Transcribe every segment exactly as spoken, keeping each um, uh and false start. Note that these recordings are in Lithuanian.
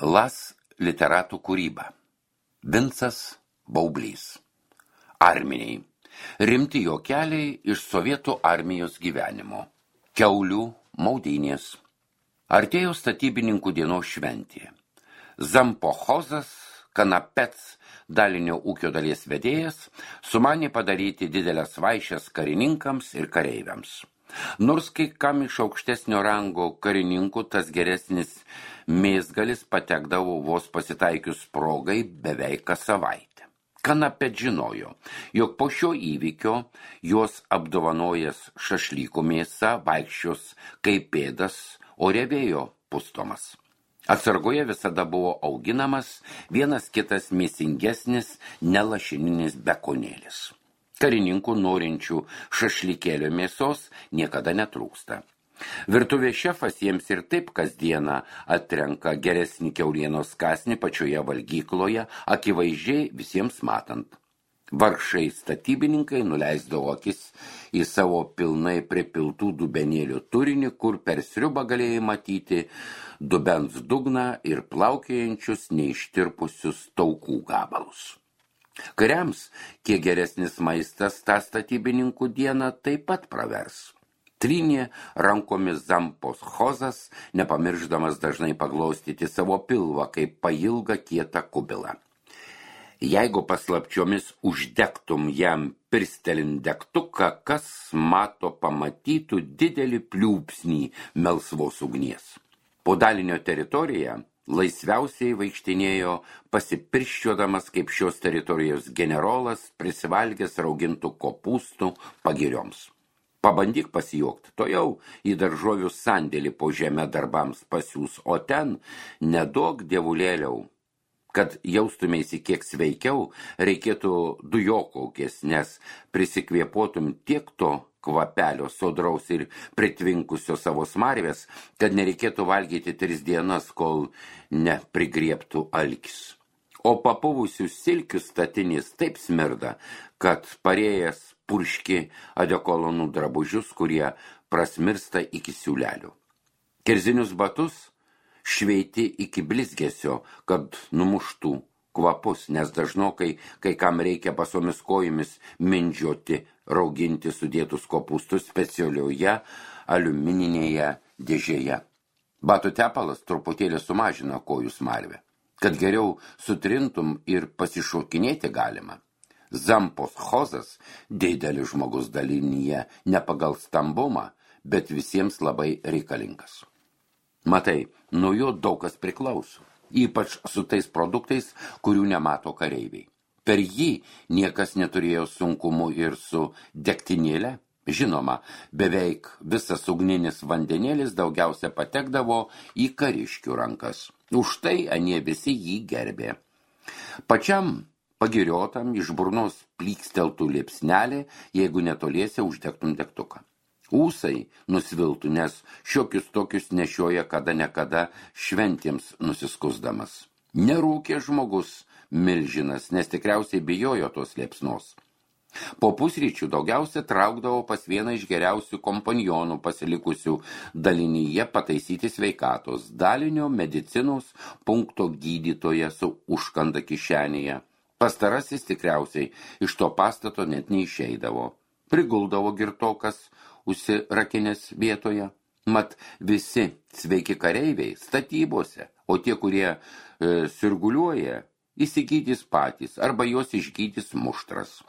Las literatų kūryba. Vincas Baublys. Arminiai. Rimti juokeliai iš sovietų armijos gyvenimo. Kiaulių maudynės. Artėjo statybininkų dienos šventė. Zampochozas, Kanapets, dalinio ūkio dalies vedėjas, sumanė padaryti didelės vaišes karininkams ir kareiviams. Nors kai kam iš aukštesnio rango karininkų tas geresnis mėsgalis patekdavo vos pasitaikius progai beveik kas savaitę. Kanapet žinojo, jog po šio įvykio juos apdovanojęs šašlykų mėsa vaikščios kaip pėdas, o revėjo pustomas. Atsargoje visada buvo auginamas vienas kitas mėsingesnis nelašininis bekonėlis. Karininkų norinčių šašlykėlio mėsos niekada netrūksta. Virtuvės šefas jiems ir taip kasdieną atrenka geresnį kiaulienos kąsnį pačioje valgykloje, akivaizdžiai visiems matant. Vargšai statybininkai nuleisdavo akis į savo pilnai pripiltų dubenėlių turinį, kur per sriubą galėjai matyti dubens dugną ir plaukiojančius neištirpusius taukų gabalus. Kariams, kiek geresnis maistas tą statybininkų dieną taip pat pravers. Trynė rankomis Zampochozas, nepamirždamas dažnai paglaustyti savo pilvą, kaip pailgą kietą kubilą. Jeigu paslapčiomis uždegtum jam pirstelint degtuką, kas mato pamatytų didelį pliūpsnį melsvos ugnies. Po dalinio teritoriją laisviausiai vaikštinėjo pasipirščiodamas kaip šios teritorijos generolas, prisivalgęs raugintų kopūstų pagirioms. Pabandyk pasijuokti, to jau į daržovių sandėlį po žemę darbams pasiūs, o ten neduok dievulėliau. Kad jaustumėsi kiek sveikiau, reikėtų dujokaukės, nes prisikvėpuotum tiek to kvapelio sodraus ir pritvinkusio savo smarvės, kad nereikėtų valgyti tris dienas, kol neprigriebtų alkis. O papuvusių silkių statinys taip smirda, kad parėjęs purški adekolonų drabužius, kurie prasmirsta iki siūlelių. Kerzinius batus šveiti iki blizgesio, kad numuštų kvapus, nes dažnokai, kai kam reikia basomis kojomis mindžioti, rauginti sudėtus kopūstus specialioje aliumininėje dėžėje. Batų tepalas truputėlį sumažina kojų smarvę, kad geriau sutrintum ir pasišokinėti galima. Zampochozas didelis žmogus dalinyje ne pagal stambumą, bet visiems labai reikalingas. Matai, nuo jo daug kas priklauso, ypač su tais produktais, kurių nemato kareiviai. Per jį niekas neturėjo sunkumų ir su degtinėle. Žinoma, beveik visas ugninis vandenėlis daugiausia patekdavo į kariškių rankas. Už tai anie visi jį gerbė. Pačiam pagiriotam iš burnos plyksteltų liepsnelė, jeigu netoliese uždegtum degtuką. Ūsai nusviltų, nes šiokius tokius nešioja kada nekada šventėms nusiskusdamas. Nerūkė žmogus milžinas, nes tikriausiai bijojo tos liepsnos. Po pusryčių daugiausia traukdavo pas vieną iš geriausių kompanionų pasilikusių dalinyje pataisyti sveikatos, dalinio medicinos punkto gydytoje su užkanda kišenėje. Pastarasis tikriausiai iš to pastato net neišeidavo. Priguldavo girtokas užsirakinės vietoje. Mat visi sveiki kareiviai statybose, o tie, kurie e, sirguliuoja, įsigydys patys arba juos išgydys muštras.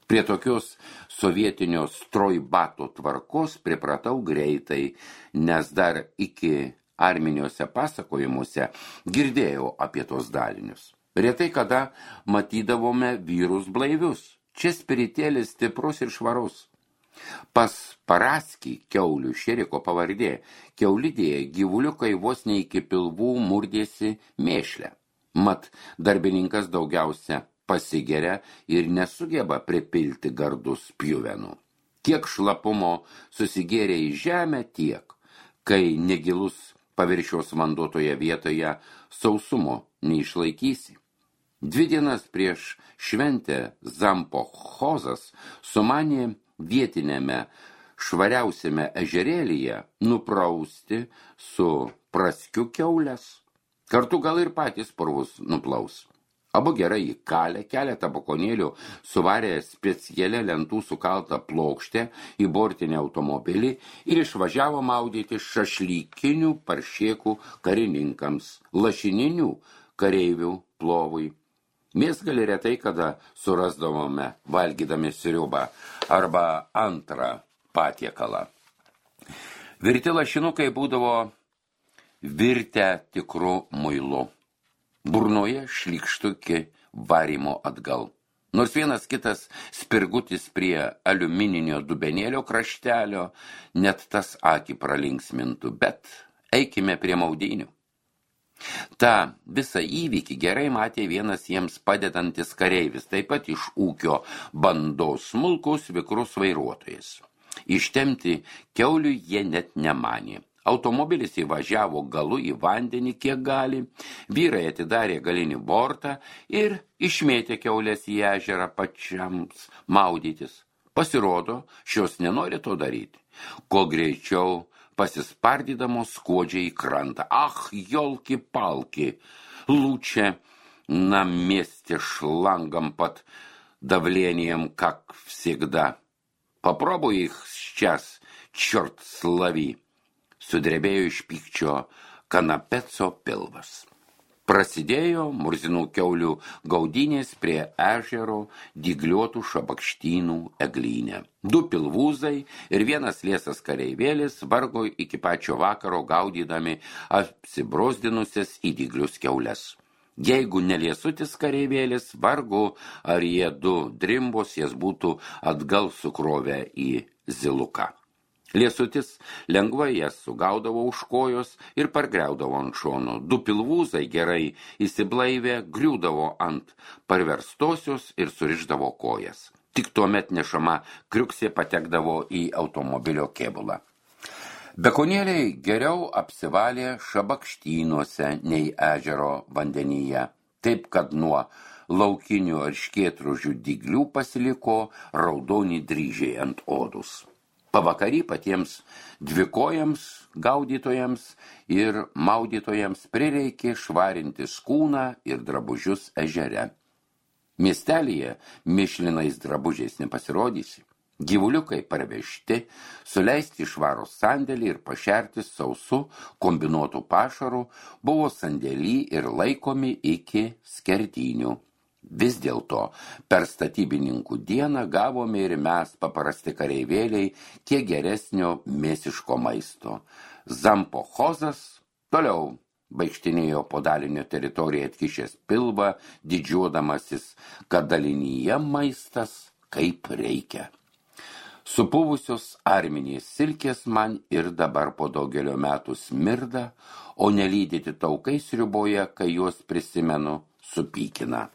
Prie tokios sovietinio strojbato tvarkos pripratau greitai, nes dar iki arminiuose pasakojimuose girdėjau apie tos dalinius. Retai kada matydavome vyrus blaivius. Čia spiritėlis stiprus ir švarus. Pas Paraskį kiaulių šeriko pavardė, kiaulidėje gyvuliukai vos ne iki pilvų murdėsi mėšlę. Mat darbininkas daugiausia pasigeria ir nesugeba pripilti gardus pjuvenų. Kiek šlapumo susigėrė į žemę, tiek, kai negilus paviršiaus vanduotoje vietoje sausumo neišlaikysi. Dvi dienas prieš šventę Zampochozas sumanė vietinėme švariausiame ežerėlyje nuprausti su praskiu kiaulės. Kartu gal ir patys purvus nuplaus. Abu gerai įkalę, keletą bakonėlių suvarė specialią lentų sukaltą plokštę į bortinį automobilį ir išvažiavo maudyti šašlykinių paršėkų karininkams, lašininių kareivių plovui. Mėsgalį retai kada surasdavome valgydami sriubą arba antrą patiekalą. Virti lašinukai būdavo virtę tikru muilu. Burnoje šlykštukį varimo atgal. Nors vienas kitas spirgutis prie aliumininio dubenėlio kraštelio, net tas akį pralinksmintų, bet eikime prie maudynių. Ta visą įvykį gerai matė vienas jiems padedantis kareivis, taip pat iš ūkio bandos smulkus vikrus vairuotojas. Ištemti kiaulių jie net nemanė. Automobilis įvažiavo galu į vandenį, kiek gali, vyrai atidarė galinį bortą ir išmėtė kiaulės į ežerą pačiams maudytis. Pasirodo, šios nenori to daryti. Kuo greičiau pasispardydamos skuodžia į krantą. Ах, ёлки-палки! Лучше на месте шлангом под давлением, как всегда. Попробуй их сейчас, черт слави. Sudrebėjo iš pykčio kanapeco pilvas. Prasidėjo murzinų kiaulių gaudynės prie ežero dygliuotų šabakštynų eglyne. Du pilvūzai ir vienas liesas kareivėlis vargo iki pačio vakaro gaudydami apsibrosdinusias į dyglius kiaules. Jeigu neliesutis kareivėlis, vargu ar jie du drimbos jas būtų atgal sukrovę į ziluką. Liesutis lengvai jas sugaudavo už kojos ir pargriaudavo ant šono. Du pilvūzai gerai įsiblaivę griūdavo ant parverstosios ir surišdavo kojas. Tik tuomet nešama kriuksė patekdavo į automobilio kėbulą. Bekonėliai geriau apsivalė šabakštynuose nei ežero vandenyje, taip kad nuo laukinių erškėtružių dyglių pasiliko raudoni dryžiai ant odus. Pavakarį patiems dvikojams, gaudytojams ir maudytojams prireikė švarinti kūną ir drabužius ežere. Miestelyje mišlinais drabužiais nepasirodysi. Gyvuliukai parvežti, suleisti švarų sandėlį ir pašerti sausu kombinuotų pašarų buvo sandėlį ir laikomi iki skerdynių. Vis dėlto per statybininkų dieną gavome ir mes paprasti kareivėliai kiek geresnio mėsiško maisto. Zampochozas toliau vaikštinėjo po dalinio teritoriją atkišęs pilvą, didžiuodamasis, kad dalinyje maistas kaip reikia. Supuvusios arminės silkės man ir dabar po daugelio metų smirda, o nelydyti taukai sriuboje, kai juos prisimenu, supykina.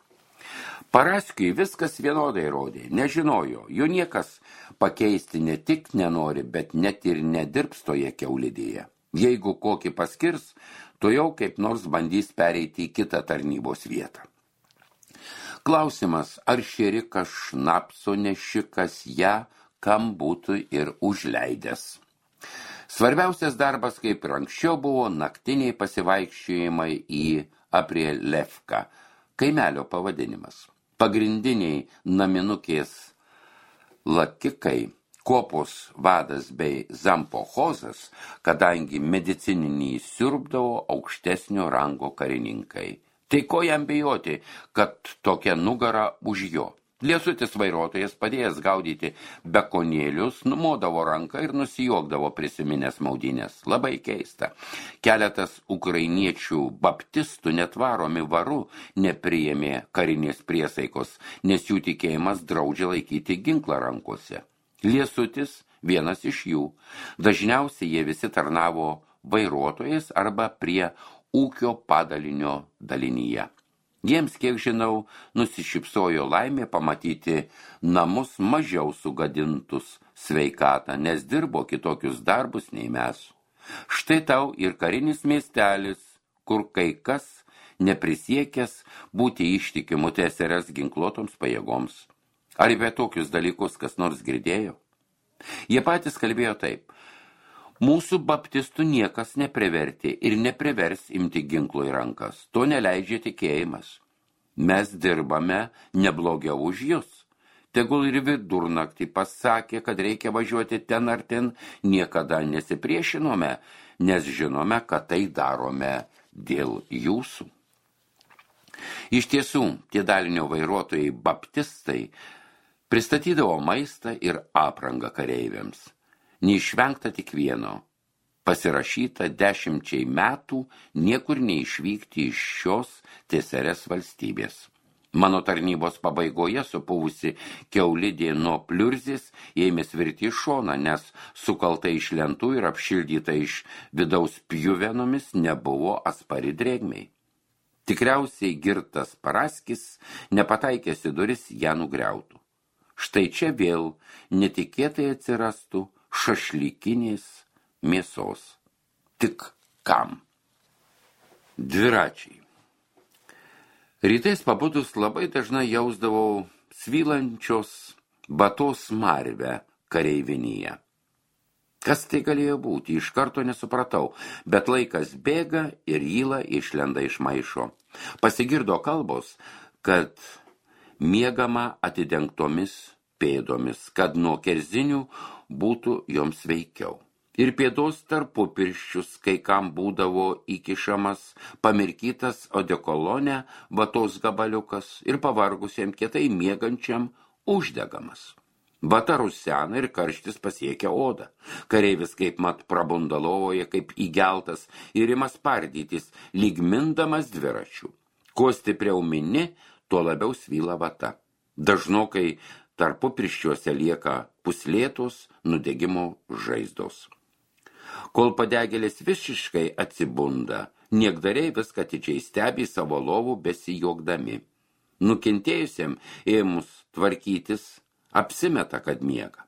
Paraskiui viskas vienodai rodė, nežinojo, jo niekas pakeisti ne tik nenori, bet net ir nedirbs toje kiaulidėje. Jeigu kokį paskirs, to jau kaip nors bandys pereiti į kitą tarnybos vietą. Klausimas, ar šėrikas šnapso nešikas ją, kam būtų ir užleidęs. Svarbiausias darbas, kaip ir anksčiau, buvo naktiniai pasivaikščiojimai į Aprielevką, kaimelio pavadinimas. Pagrindiniai naminukės lakikai, kopos vadas bei zampochozas, kadangi medicininį siurbdavo aukštesnio rango karininkai. Tai ko jam bijoti, kad tokia nugara už jo? Liesutis vairuotojas padėjęs gaudyti bekonėlius, numodavo ranką ir nusijuokdavo prisiminęs maudynės. Labai keista. Keletas ukrainiečių baptistų net varomi varu nepriėmė karinės priesaikos, nes jų tikėjimas draudžia laikyti ginklą rankose. Liesutis vienas iš jų. Dažniausiai jie visi tarnavo vairuotojas arba prie ūkio padalinio dalinyje. Jiems, kiek žinau, nusišypsojo laimė pamatyti namus mažiau sugadintus sveikatą, nes dirbo kitokius darbus nei mes. Štai tau ir karinis miestelis, kur kai kas neprisiekęs būti ištikimu T S R S ginkluotoms pajėgoms. Ar apie tokius dalykus kas nors girdėjo? Jie patys kalbėjo taip. Mūsų baptistų niekas neprivertė ir neprivers imti ginklo į rankas. To neleidžia tikėjimas. Mes dirbame neblogiau už jūs. Tegul ir vidurnaktį pasakė, kad reikia važiuoti ten ar ten, niekada nesipriešinome, nes žinome, kad tai darome dėl jūsų. Iš tiesų, tie dalinio vairuotojai baptistai pristatydavo maistą ir aprangą kareiviams. Neišvengta tik vieno. Pasirašyta dešimčiai metų niekur neišvykti iš šios Tsrs valstybės. Mano tarnybos pabaigoje supuvusi kiaulidė nuo pliurzės ėmė svirti iš šoną, nes sukalta iš lentų ir apšildyta iš vidaus pjuvenomis nebuvo atspari drėgmei. Tikriausiai girtas Paraskis, nepataikęs į duris, ją nugriautų. Štai čia vėl netikėtai atsirastų šašlykinės mėsos. Tik kam? Dviračiai. Rytais pabudus labai dažnai jausdavau svylančios batos smarvę kareivinyje. Kas tai galėjo būti, iš karto nesupratau, bet laikas bėga ir yla išlenda iš maišo. Pasigirdo kalbos, kad miegama atidengtomis pėdomis, kad nuo kerzinių būtų joms veikiau. Ir pėdos tarpupirščius, kai kam būdavo įkišamas pamirkytas odekolone batos gabaliukas ir pavargusiam kietai miegančiam uždegamas. Bata rusena ir karštis pasiekia odą. Kareivis kaip mat prabunda lovoje, kaip įgeltas ir ima spardytis, lyg mindamas dviračių. Kuo stipriau mini, tuo labiau svyla vata. Dažnokai tarpupirščiuose lieka puslėtos nudegimo žaizdos. Kol padegėlis visiškai atsibunda, niekdariai viską atidžiai stebi savo lovų besijuokdami. Nukentėjusiam ėmus tvarkytis, apsimeta, kad miega.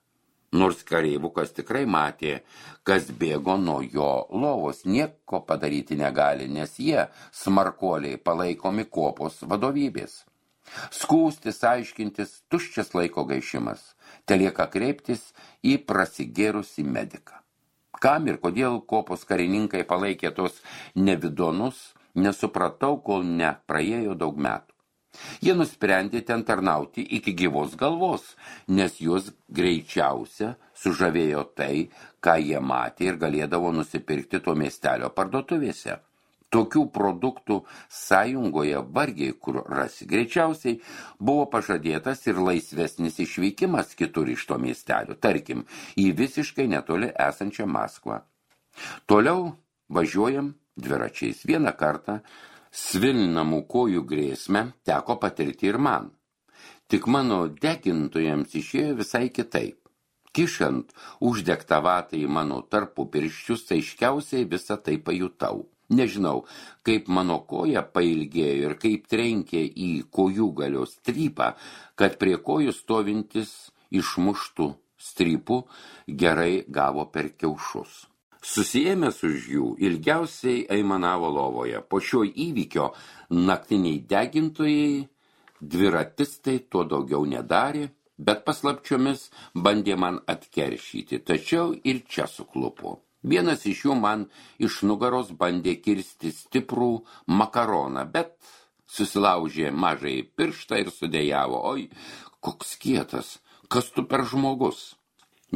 Nors kareivukas tikrai matė, kas bėgo nuo jo lovos, nieko padaryti negali, nes jie smarkuoliai palaikomi kuopos vadovybės. Skūstis, aiškintis, tuščias laiko gaišimas, telieka kreiptis į prasigėrusį mediką. Kam ir kodėl kuopos karininkai palaikė tos nevidonus, nesupratau, kol nepraėjo daug metų. Jie nusprendė ten tarnauti iki gyvos galvos, nes juos greičiausia sužavėjo tai, ką jie matė ir galėdavo nusipirkti to miestelio parduotuvėse. Tokių produktų sąjungoje vargiai kur rasi. Greičiausiai buvo pažadėtas ir laisvesnis išvykimas kitur iš to miestelio, tarkim, į visiškai netoli esančią Maskvą. Toliau važiuojam dviračiais. Vieną kartą svilnamų kojų grėsmę teko patirti ir man. Tik mano degintojams išėjo visai kitaip. Kišant uždegtą vatą į mano tarpupirščius, aiškiausiai visą tai pajutau. Nežinau, kaip mano koja pailgėjo ir kaip trenkė į kojų galios strypą, kad prie kojų stovintis išmuštų strypų gerai gavo per kiaušus. Susijėmęs už jų, ilgiausiai aimanavo lovoje. Po šio įvykio naktiniai degintojai, dviratistai to daugiau nedarė, bet paslapčiomis bandė man atkeršyti, tačiau ir čia suklupo. Vienas iš jų man iš nugaros bandė kirsti stiprų makaroną, bet susilaužė mažai pirštą ir sudėjavo. Oi, koks kietas, kas tu per žmogus?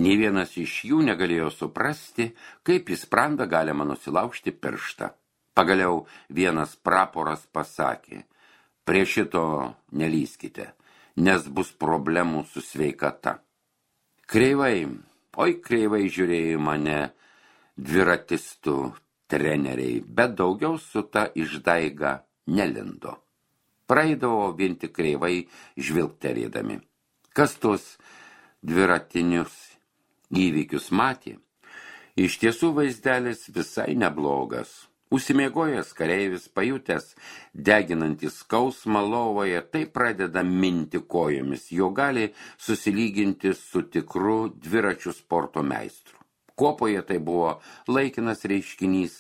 Nė vienas iš jų negalėjo suprasti, kaip į sprandą galima nusilaužti pirštą. Pagaliau vienas praporas pasakė, prie šito nelyskite, nes bus problemų su sveikata. Kreivai, oi kreivai žiūrėjo mane dviratistų treneriai, bet daugiau su ta išdaiga nelindo. Praeidavo vien tik kreivai žvilgterėdami. Kas tos dviratinius įvykius matė? Iš tiesų vaizdelis visai neblogas. Užsimiegojęs kareivis, pajutęs deginantį skausmą lovoje, tai pradeda minti kojomis, jo gali susilyginti su tikru dviračių sporto meistru. Kopoje tai buvo laikinas reiškinys,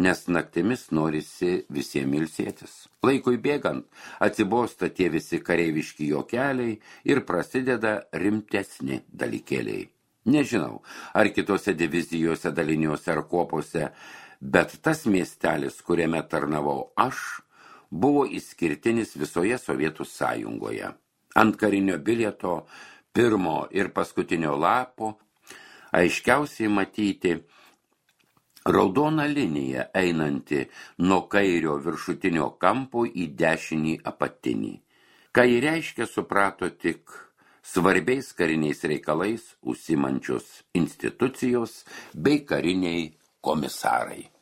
nes naktimis norisi visiems ilsėtis. Laikui bėgant atsibosta tie visi kareiviški juokeliai ir prasideda rimtesni dalykėliai. Nežinau, ar kitose divizijose, daliniuose ar kuopose, bet tas miestelis, kuriame tarnavau aš, buvo išskirtinis visoje Sovietų sąjungoje. Ant karinio bilieto pirmo ir paskutinio lapo aiškiausiai matyti raudona linija einanti nuo kairio viršutinio kampo į dešinį apatinį. Ką ji reiškia, suprato tik svarbiais kariniais reikalais užsiimančios institucijos bei kariniai komisarai.